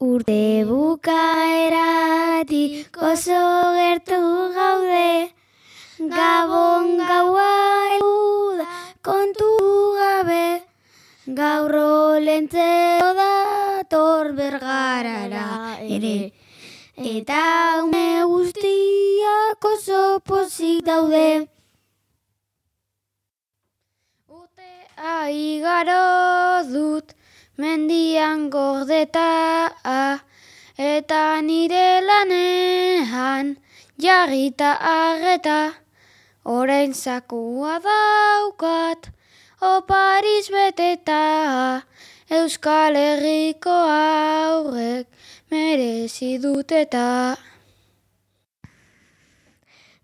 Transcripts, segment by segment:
Urte bukaeratik oso gertu gaude, Gabon gaua heldu da kontu gabe, gaur Olentzero dator Bergarara ere, eta ume guztiak oso pozik daude. Urtea igaro dut mendian gordeta, eta nire lanean jarrita arreta, orain zakua daukat, opariz beteta, Euskal Herriko haurrek merezi duteta.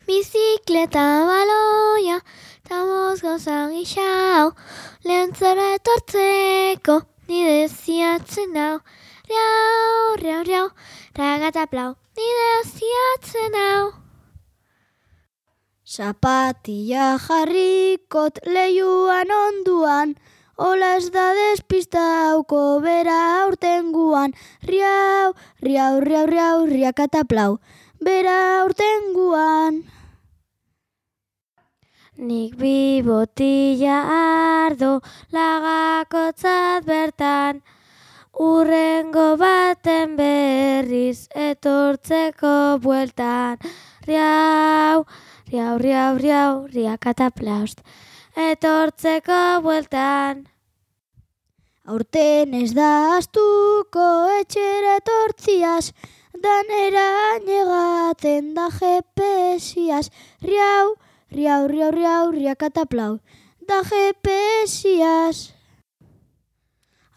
Bizikleta baloia, ta bost gauza gixau, Leontzora etortzeko nire ziatzen hau. Riau, riau, riau, ragataplau, nire ziatzen hau. Zapatilla jarrikot leiuan onduan, hola ez da despistauko bera aurtenguan. Riau, riau, riau, riau, riakataplau, bera aurtenguan. Nik bi botilla ardo lagakotzat bertan, urrengo baten berriz etortzeko bueltan. Riau, riau, riau, riau, riakataplaust, etortzeko bueltan. Aurten ez da astuko etxera etortziaz, danera negaten da GPS-iaz. Riau, riau, riau, riau, riakataplau, da GPS-iaz.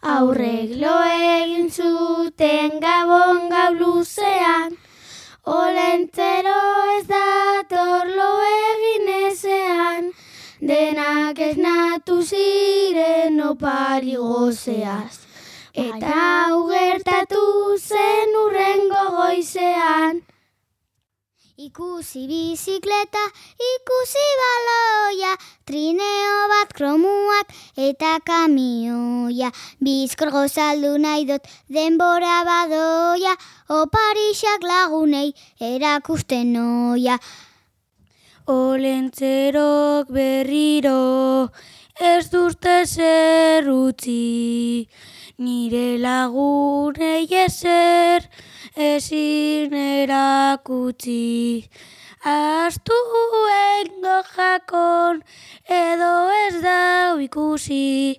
Aurrek lo egin zuten Gabon gau luzean, Olentzero ez dator lo egin ezean, denak esnatu ziren opari gozeaz, eta hau gertatu zen hurrengo goizean. Ikusi bizikleta, ikusi baloia, trineo bat kromuak eta kamioia. Bizkor gozaldu nahi dut denbora badoia, oparixak lagunei erakusten noia. Olentzerok berriro ez duzte zer utzi, nire lagunei ezer ezin erakutsi. Astuen jakon edo ez dau ikusi,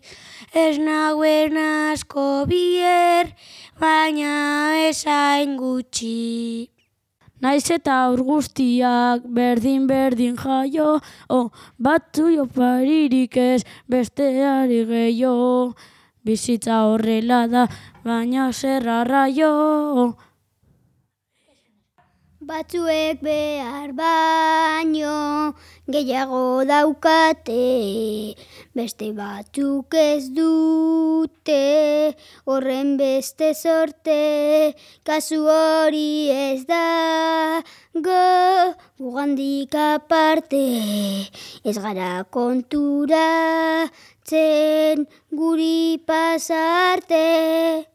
ez nauen asko bier, baina esain gutxi. Naiz eta aur guztiak berdin jaio, batzui oparirik ez besteari gehiago. Bizitza horrela da, baina zer arraio. Batzuek behar baino gehiago daukate, beste batzuk ez dute, horren beste sorte, kasu hori ez da gugandik aparte, ez gara konturatzen guri pasarte.